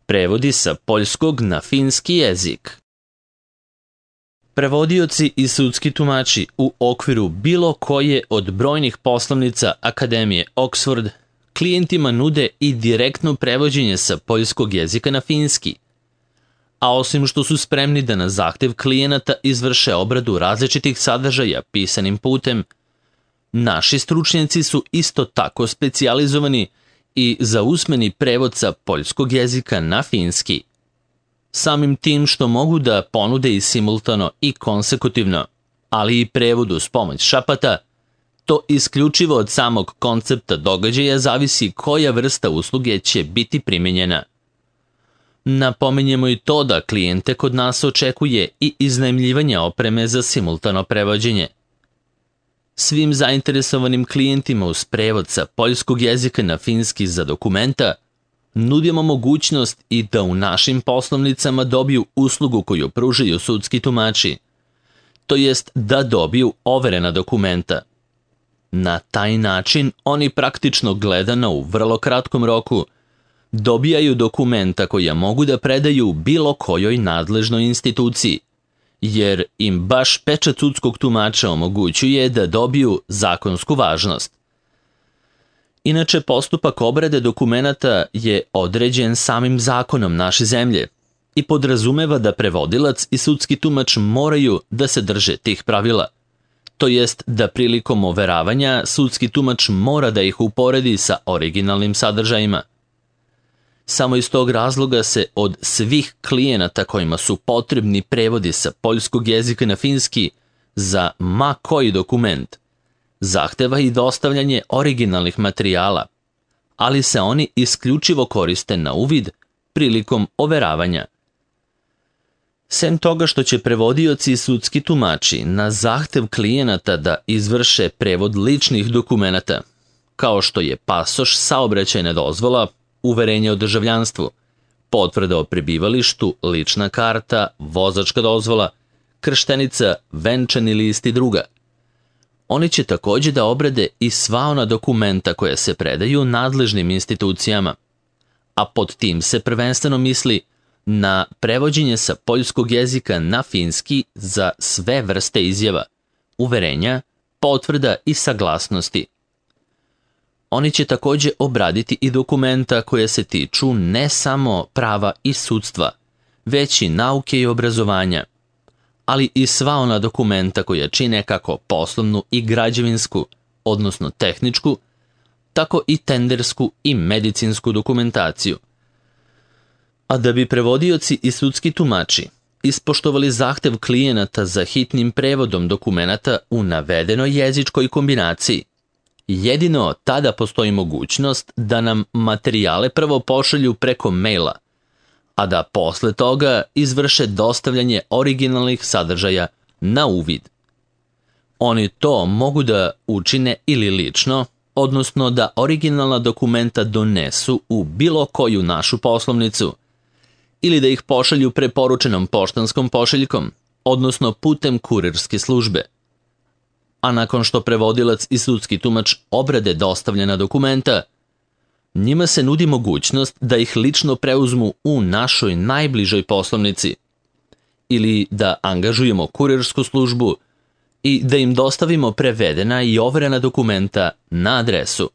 Prevodi sa poljskog na finski jezik. Prevodioci i sudski tumači u okviru bilo koje od brojnih poslovnica Akademije Oxford klijentima nude i direktno prevođenje sa poljskog jezika na finski. A osim što su spremni da na zahtev klijenata izvrše obradu različitih sadržaja pisanim putem, naši stručnjaci su isto tako specijalizovani i za usmeni prevod sa poljskog jezika na finski. Samim tim što mogu da ponude i simultano i konsekutivno, ali i prevod uz pomoć šapata, to isključivo od samog koncepta događaja zavisi koja vrsta usluge će biti primjenjena. Napominjemo i to da klijente kod nas očekuje i iznajmljivanje opreme za simultano prevođenje. Svim zainteresovanim klijentima uz prevod sa poljskog jezika na finski za dokumenta nudimo mogućnost i da u našim poslovnicama dobiju uslugu koju pružaju sudski tumači, to jest da dobiju overena dokumenta. Na taj način oni praktično gledano u vrlo kratkom roku dobijaju dokumenta koja mogu da predaju bilo kojoj nadležnoj instituciji, jer im baš pečat sudskog tumača omogućuje da dobiju zakonsku važnost. Inače, postupak obrade dokumenata je određen samim zakonom naše zemlje i podrazumeva da prevodilac i sudski tumač moraju da se drže tih pravila. To jest da prilikom overavanja sudski tumač mora da ih uporedi sa originalnim sadržajima. Samo iz tog razloga se od svih klijenata kojima su potrebni prevodi sa poljskog jezika na finski za ma koji dokument zahteva i dostavljanje originalnih materijala, ali se oni isključivo koriste na uvid prilikom overavanja. Sem toga što će prevodioci i sudski tumači na zahtev klijenata da izvrše prevod ličnih dokumenata, kao što je pasoš, saobraćajna dozvola, uverenje o državljanstvu, potvrda o prebivalištu, lična karta, vozačka dozvola, krštenica, venčani list i druga. Oni će također da obrade i sva ona dokumenta koja se predaju nadležnim institucijama, a pod tim se prvenstveno misli na prevođenje sa poljskog jezika na finski za sve vrste izjava, uverenja, potvrda i saglasnosti. Oni će također obraditi i dokumenta koje se tiču ne samo prava i sudstva, već i nauke i obrazovanja, ali i sva ona dokumenta koja čine kako poslovnu i građevinsku, odnosno tehničku, tako i tendersku i medicinsku dokumentaciju. A da bi prevodioci i sudski tumači ispoštovali zahtev klijenata za hitnim prevodom dokumenata u navedenoj jezičkoj kombinaciji, jedino tada postoji mogućnost da nam materijale prvo pošalju preko maila, a da posle toga izvrše dostavljanje originalnih sadržaja na uvid. Oni to mogu da učine ili lično, odnosno da originalna dokumenta donesu u bilo koju našu poslovnicu, ili da ih pošalju preporučenom poštanskom pošiljkom, odnosno putem kurirske službe. A nakon što prevodilac i sudski tumač obrade dostavljena dokumenta, njima se nudi mogućnost da ih lično preuzmu u našoj najbližoj poslovnici ili da angažujemo kurirsku službu i da im dostavimo prevedena i overena dokumenta na adresu,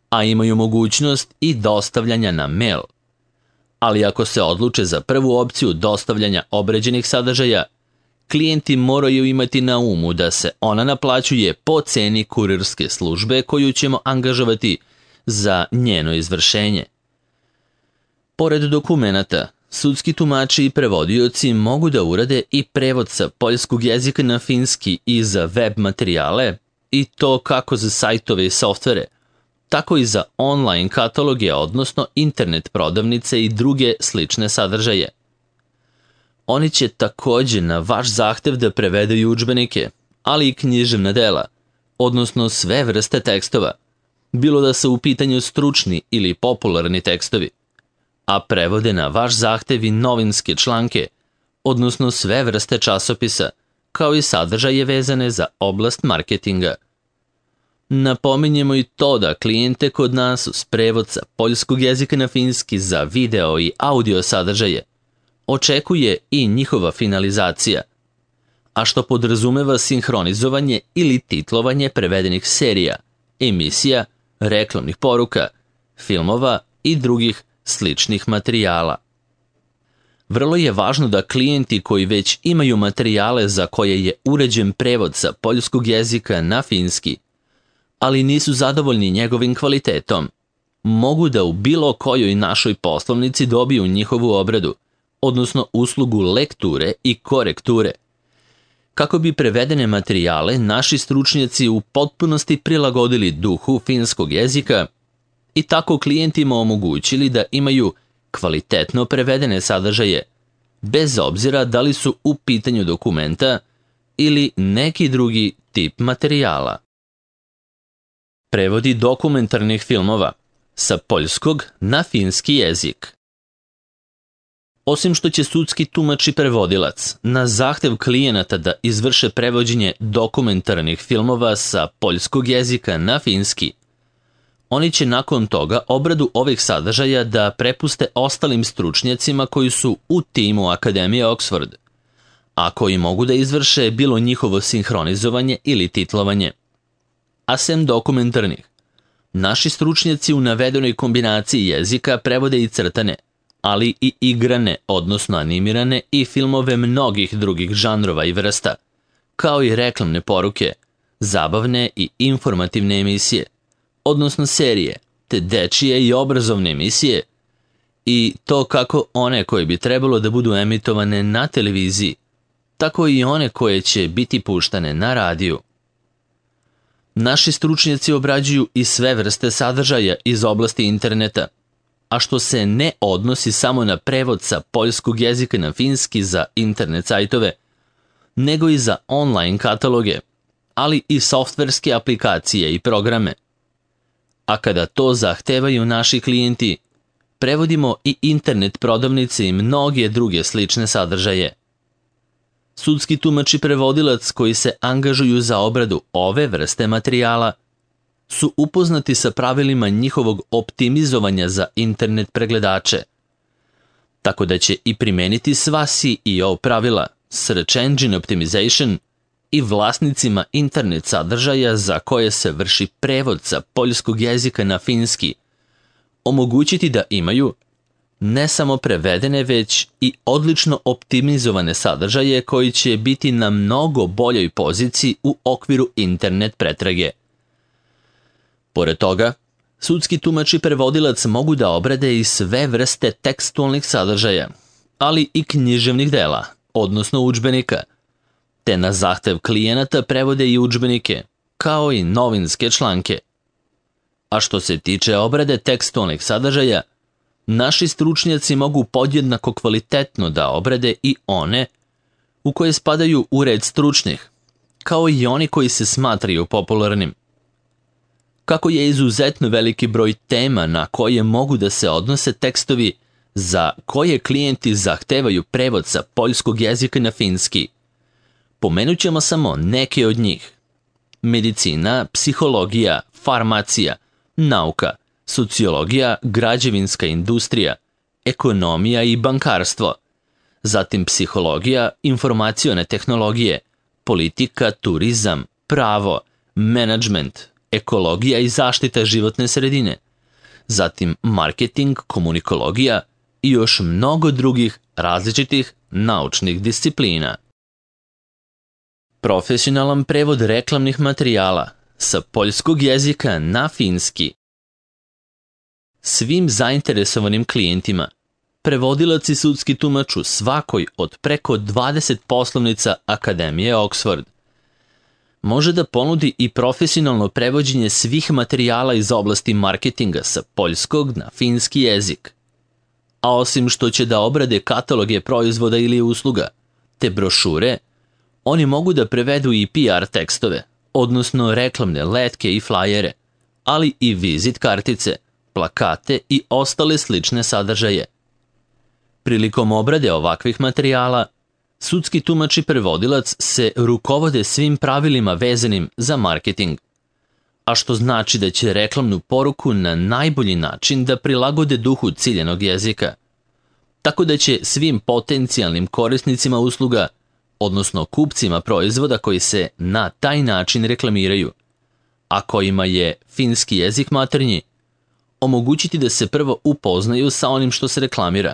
a imaju mogućnost i dostavljanja na mail. Ali ako se odluče za prvu opciju dostavljanja obređenih sadržaja, klijenti moraju imati na umu da se ona naplaćuje po ceni kurirske službe koju ćemo angažovati za njeno izvršenje. Pored dokumenata, sudski tumači i prevodioci mogu da urade i prevod sa poljskog jezika na finski i za web materijale, i to kako za sajtove i softvere, tako i za online kataloge, odnosno internet prodavnice i druge slične sadržaje. Oni će također na vaš zahtev da prevedaju udžbenike, ali i književna dela, odnosno sve vrste tekstova, bilo da su u pitanju stručni ili popularni tekstovi, a prevode na vaš zahtev i novinske članke, odnosno sve vrste časopisa, kao i sadržaje vezane za oblast marketinga. Napominjemo i to da klijente kod nas uz prevod sa poljskog jezika na finski za video i audio sadržaje očekuje i njihova finalizacija, a što podrazumeva sinhronizovanje ili titlovanje prevedenih serija, emisija, reklamnih poruka, filmova i drugih sličnih materijala. Vrlo je važno da klijenti koji već imaju materijale za koje je uređen prevod sa poljskog jezika na finski, ali nisu zadovoljni njegovim kvalitetom, mogu da u bilo kojoj našoj poslovnici dobiju njihovu obradu, odnosno uslugu lekture i korekture, kako bi prevedene materijale naši stručnjaci u potpunosti prilagodili duhu finskog jezika i tako klijentima omogućili da imaju kvalitetno prevedene sadržaje, bez obzira da li su u pitanju dokumenta ili neki drugi tip materijala. Prevodi dokumentarnih filmova sa poljskog na finski jezik. Osim što će sudski tumač i prevodilac na zahtev klijenata da izvrše prevođenje dokumentarnih filmova sa poljskog jezika na finski, oni će nakon toga obradu ovih sadržaja da prepuste ostalim stručnjacima koji su u timu Akademije Oxford, a koji mogu da izvrše bilo njihovo sinhronizovanje ili titlovanje. A sem dokumentarnih, naši stručnjaci u navedenoj kombinaciji jezika prevode i crtane, ali i igrane, odnosno animirane i filmove mnogih drugih žanrova i vrsta, kao i reklamne poruke, zabavne i informativne emisije, odnosno serije, te dečije i obrazovne emisije, i to kako one koje bi trebalo da budu emitovane na televiziji, tako i one koje će biti puštane na radiju. Naši stručnjaci obrađuju i sve vrste sadržaja iz oblasti interneta, a što se ne odnosi samo na prevod sa poljskog jezika na finski za internet sajtove, nego i za online kataloge, ali i softverske aplikacije i programe. A kada to zahtevaju naši klijenti, prevodimo i internet prodavnice i mnoge druge slične sadržaje. Sudski tumač i prevodilac koji se angažuju za obradu ove vrste materijala su upoznati sa pravilima njihovog optimizovanja za internet pregledače, tako da će i primeniti sva SEO pravila, Search Engine Optimization, i vlasnicima internet sadržaja za koje se vrši prevod sa poljskog jezika na finski omogućiti da imaju ne samo prevedene, već i odlično optimizovane sadržaje koji će biti na mnogo boljoj poziciji u okviru internet pretrage. Pored toga, sudski tumač i prevodilac mogu da obrade i sve vrste tekstualnih sadržaja, ali i književnih dela, odnosno udžbenika, te na zahtev klijenata prevode i udžbenike, kao i novinske članke. A što se tiče obrade tekstualnih sadržaja, naši stručnjaci mogu podjednako kvalitetno da obrade i one u koje spadaju u red stručnih, kao i oni koji se smatraju popularnim. Kako je izuzetno veliki broj tema na koje mogu da se odnose tekstovi za koje klijenti zahtevaju prevod sa poljskog jezika na finski, pomenut ćemo samo neke od njih: medicina, psihologija, farmacija, nauka, sociologija, građevinska industrija, ekonomija i bankarstvo, zatim psihologija, informacione tehnologije, politika, turizam, pravo, menadžment, ekologija i zaštita životne sredine, zatim marketing, komunikologija i još mnogo drugih različitih naučnih disciplina. Profesionalan prevod reklamnih materijala sa poljskog jezika na finski. Svim zainteresovanim klijentima, prevodilac i sudski tumač u svakoj od preko 20 poslovnica Akademije Oxford može da ponudi i profesionalno prevođenje svih materijala iz oblasti marketinga sa poljskog na finski jezik. A osim što će da obrade kataloge proizvoda ili usluga, te brošure, oni mogu da prevedu i PR tekstove, odnosno reklamne letke i flajere, ali i vizit kartice, plakate i ostale slične sadržaje. Prilikom obrade ovakvih materijala, sudski tumač i prevodilac se rukovode svim pravilima vezanim za marketing, a što znači da će reklamnu poruku na najbolji način da prilagode duhu ciljanog jezika, tako da će svim potencijalnim korisnicima usluga, odnosno kupcima proizvoda koji se na taj način reklamiraju, a kojima je finski jezik maternji, omogućiti da se prvo upoznaju sa onim što se reklamira,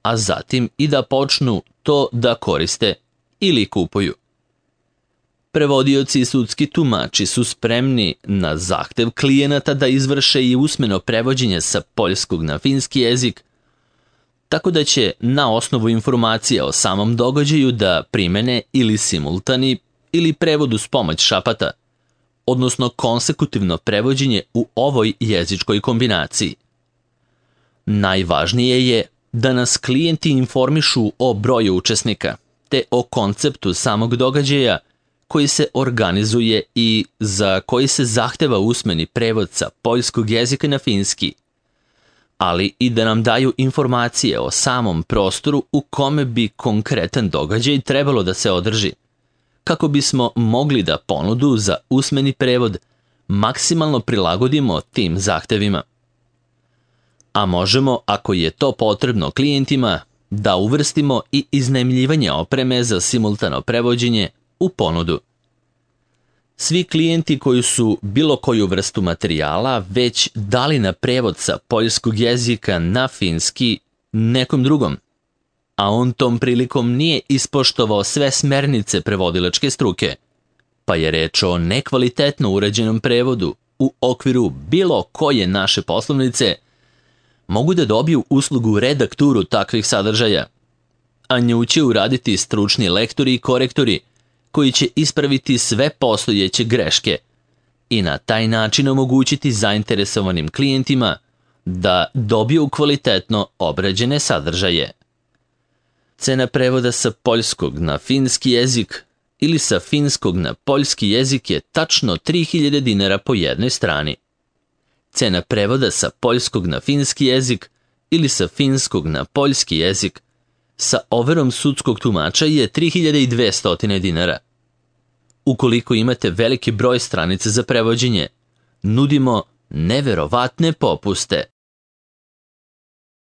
a zatim i da počnu to da koriste ili kupuju. Prevodioci i sudski tumači su spremni na zahtev klijenata da izvrše i usmeno prevođenje sa poljskog na finski jezik, tako da će na osnovu informacija o samom događaju da primene ili simultani ili prevod uz pomoć šapata, odnosno konsekutivno prevođenje u ovoj jezičkoj kombinaciji. Najvažnije je da nas klijenti informišu o broju učesnika, te o konceptu samog događaja koji se organizuje i za koji se zahteva usmeni prevod sa poljskog jezika na finski, ali i da nam daju informacije o samom prostoru u kome bi konkretan događaj trebalo da se održi, kako bismo mogli da ponudu za usmeni prevod maksimalno prilagodimo tim zahtevima. A možemo, ako je to potrebno klijentima, da uvrstimo i iznajmljivanje opreme za simultano prevođenje u ponudu. Svi klijenti koji su bilo koju vrstu materijala već dali na prevod sa poljskog jezika na finski nekom drugom, a on tom prilikom nije ispoštovao sve smernice prevodilačke struke, pa je reč o nekvalitetno urađenom prevodu u okviru bilo koje naše poslovnice, mogu da dobiju uslugu redakturu takvih sadržaja, a nju će uraditi stručni lektori i korektori koji će ispraviti sve postojeće greške i na taj način omogućiti zainteresovanim klijentima da dobiju kvalitetno obrađene sadržaje. Cena prevoda sa poljskog na finski jezik ili sa finskog na poljski jezik je tačno 3000 dinara po jednoj strani. Cena prevoda sa poljskog na finski jezik ili sa finskog na poljski jezik sa overom sudskog tumača je 3200 dinara. Ukoliko imate veliki broj stranica za prevođenje, nudimo neverovatne popuste.